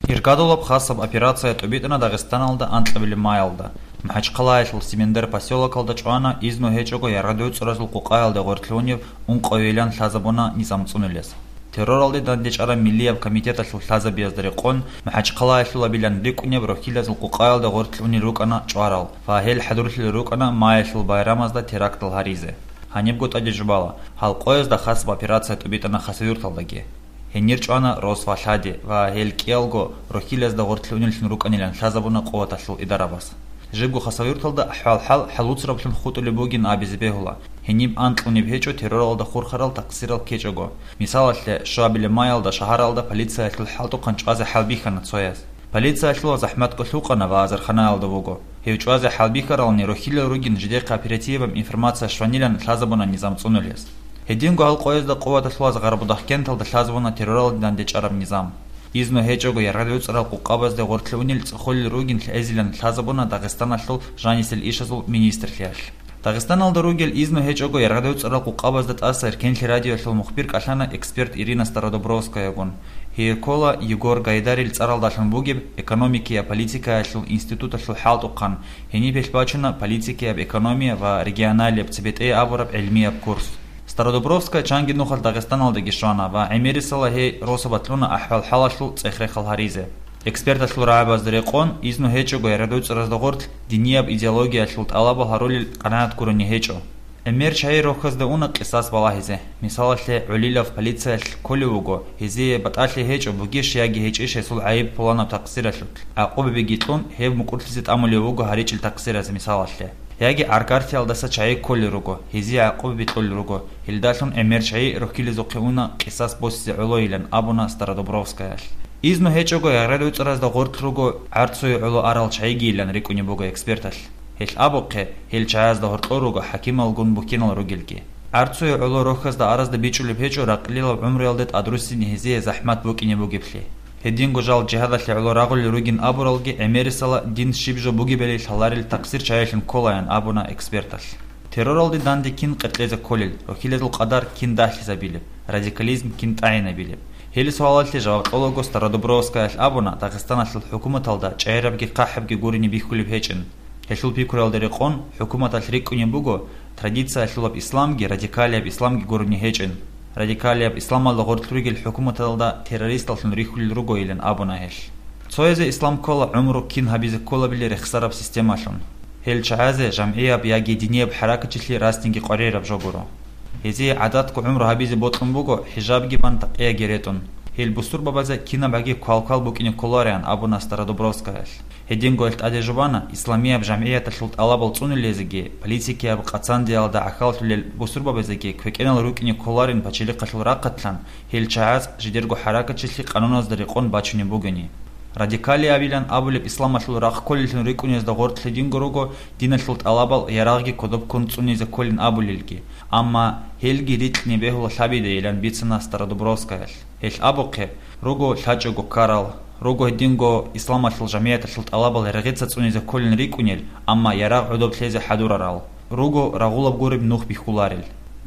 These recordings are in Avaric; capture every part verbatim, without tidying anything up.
Иргадулаб хасаб операция тӀубитӀана Дагъистаналда анкьабилеб маялда. МахӀачхъалаялъул Симендер поселокалда чӀвана изну гьечӀого яргъадуцӀаразул къукъаялда гъоркьлъунив ункъоилан лъазабуна низам цӀунулес. Терроралде дандечӀараб миллияб комитеталъул лъазабиязда рекъон, МахӀачхъалаялъулабилан рикӀкӀунеб рохьилазул къукъаялда гъоркьлъунел рукӀана чӀварал ва гьел хӀадурлъулел рукӀана маялъул байрамазда терактал гьаризе. Гьанибго тӀаде жубала, гьал къоязда хасаб операция тӀубитӀана Хасавюрталдаги. Гьенир чӀвана рос ва лъади ва гьел кӀиялго рохьилазда гъоркьлъунеллъун рукӀанилан лъазабуна къуваталъул идарабаз. Жибго Хасавюрталда ахӀвал-хӀал хӀалуцараблъун хутӀулеб бугин абизе бегьула, гьениб анкьунеб гьечӀо терроралда хурхарал такъсирал ккечӀого. Мисалалъе, щуабилеб маялда шагьаралда полициялъул хӀалтӀухъан чӀвазе хӀалбихьана цояз. Полициялъул захӀматго лъукъана ва азарханаялда вуго. Гьев чӀвазе хӀалбихьарални рохьилал ругин жидехъе оперативаб информация щванилан лъазабуна низам цӀунулес. Гьединго гьал къоязда къуваталъулаз Гъарбудахкенталда лъазабуна терроралде дандечӀараб низам. Изну гьечӀого яргъадуцӀарал къукъабазде гъоркьлъунел цӀехолел ругин лъезилан лъазабуна Дагъистаналъул жанисел ишазул министрлъиялъ. Дагъистаналда ругел изну гьечӀого яргъадуцӀарал къукъабазда тӀаса Эркенлъи радиоялъул мухбир кӀалъана эксперт Ирина Стародубровскаягун. Гьей ккола Егор Гайдарил цӀаралдалъун бугеб экономикияб политикаялъул институталъул хӀалтӀухъан, гьениб гьелъ бачуна политикияб экономия ва регионалияб цебетӀей абураб гӀилмияб курс. Стародубровская чанги нухалъ Дагъистаналдаги щвана ва гӀемерисела гьей росабалъ кьуна ахӀвал-хӀалалъул цӀех-рехал гьаризе. Эксперталъул рагӀабазда рекъон, изну гьечӀого яргъадуцӀаразда гъорлъ динияб идеологиялъул тӀалабал гьарулел къанагӀат гурони гьечӀо. ГӀемер чагӀи рохьазда уна къисас балагьизе. Мисалалъе, гӀолилав полициялъ кколев вуго, гьезие батӀалъи гьечӀо бугищ яги гьечӀищ гьесул гӀайиб пуланаб такъсиралъулъ. ГӀакъубабиги кьун, гьев мукӀурлъизе тӀамулев вуго гьаричӀел такъсиразда, мисалалъе. Яги гӀаргартиялдаса чагӀи кколел руго, гьезие гӀакъубаби кьолел руго, гьелдалъун гӀемер чагӀи рохьилезухъе уна къисас босизе гӀолойилан абуна Стародубровскаялъ. Изну гьечӀого яргъадуцӀаразда гъорлъ руго гӀарцуе гӀоло арал чагӀигийилан рикӀкӀунеб буго эксперталъ. Гьелъ абухъе, гьел чагӀазда гьоркьор руго хӀакималгун буккинал ругелги. ГӀарцуе гӀоло рохьазда аразда бичӀчӀулеб гьечӀо ракълилал гӀумруялде тӀадруссине гьезие захӀмат букӀине бугеблъи. Гьединго жал жигьадалъе гӀоло рагъулел ругин абуралги гӀемерисела дин щиб жо бугебали лъаларел такъсир чагӀилъун кколаян абуна эксперталъ. Терроралде данде кин къеркьезе кколел, рохьилазул къадар кин дагьлъизабилеб, радикализм кин тӀагӀинабилеб? Гьел суалалъе жаваб кьолаго Стародубровскаялъ абуна, Дагъистаналъул хӀукуматалда чӀегӀерабги хъахӀабги гурони бихьулеб гьечӀин. Гьелъул пикруялда рекъон, хӀукуматалъ рикӀкӀунеб буго, традициялъулаб исламги радикалияб исламги гурони гьечӀин. Радикалияб исламалда гъорлъ ругел хӀукуматалда террористаллъун рихьулел ругойилан абуна гьелъ. Цоязе ислам ккола гӀумру кин гьабизе кколабили рехсараб системалъун. Гьел чагӀазе жамгӀияб яги динияб хӀаракатчилъи расниги къваригӀараб жо гуро. Гьезие гӀадатго гӀумру гьабизе бокьун буго хӀижабги бан такъияги ретӀун. Гьел бусурбабазе кинаб гӀаги квал-квал букӀине кколароан абуна Стародубровскаялъ. Гьединго гьелъ тӀаде жубана, исламияб жамгӀияталъул тӀалабал цӀунулезеги, политикияб къацандиялда гӀахьаллъулел бусурбабазеги квекӀенал рукӀине кколарин пачалихъалъул рахъалъан, гьел чагӀаз жидерго хӀаракатчилъи къануназда рекъон бачунеб бугони. Радикалиябилан абулеб исламалъул рахъ кколеллъун рикӀкӀунезда гъоркь гьединго руго, диналъул тӀалабал ярагъги кодоб ккун цӀунизе кколин абулелги, амма гьелги рикьни бегьула лъабидейилан бицана Стародубровскаялъ. Гьелъ абухъе, руго лъачӀого ккарал, руго гьединго исламалъул жамгӀияталъул тӀалабал регъица цӀунизе кколин рикӀкӀунел, амма ярагъ гӀодоб лъезе хӀадурарал, руго рагъулаб гуреб нух бихьуларел.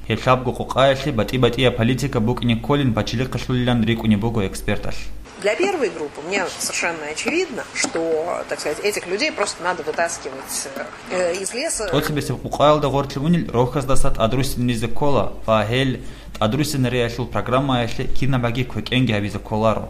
Гьеб лъабго къукъаялъе батӀи-батӀияб политика букӀине кколин пачалихъалъулилан рикӀкӀунеб буго эксперталъ. Для первой группы мне совершенно очевидно, что, так сказать, этих людей просто надо вытаскивать э, из леса. ТӀоцебесеб къукъаялда гъоркье унел рохьаздаса тӀадруссинаризе ккола ва гьел тӀадруссинариялъул программаялъе кинаб гӀаги квекӀенги гьабизе кколаро.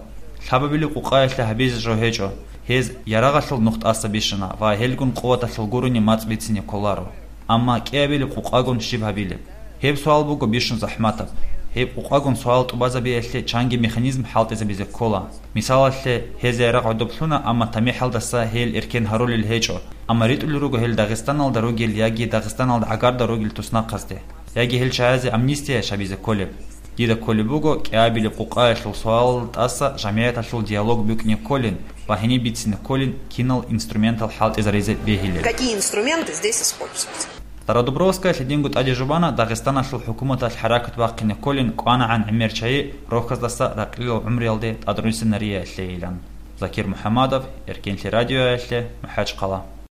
Лъабабилеб къукъаялъе гьабизе жо гьечӀо, гьез ярагъалъул нух тӀаса бищана ва гьелгун къуваталъул гурони мацӀ бицине кколаро. Амма кӀиабилеб къукъагун щиб гьабилеб? Гьеб суал буго бищун захӀматаб. Гьеб къукъагун суал тӀубазабиялъе чанги механизм хӀалтӀизабизе ккола. Мисалалъе, гьез ярагъ гӀодоб лъуна, амма тамихӀалдаса гьел эркен гьарулел гьечӀо, амма ритӀулел руго гьел Дагъистаналда ругел яги Дагъистаналда гӀагарда ругел туснахъазде, яги гьел чагӀазе амнистия гьабизе кколеб. Дида кколеб буго кӀиабилеб къукъаялъул суалалда тӀаса жамгӀияталъул диалог букӀине кколин ва гьениб бицине кколин кинал инструментал хӀалтӀизаризе бегьилел. Какие инструменты здесь использовать? Стародубровская лъидинго тӀаде жубана Дагъистаналъул хӀукуматалъ хӀаракат бахъине кколин кӀванагӀан гӀемер чагӀи рохьаздаса ракълилал гӀумруялде тӀадруссинариялъейилан. Закир МухӀамадов, Эркенлъи радиоялъе, МахӀачхъала.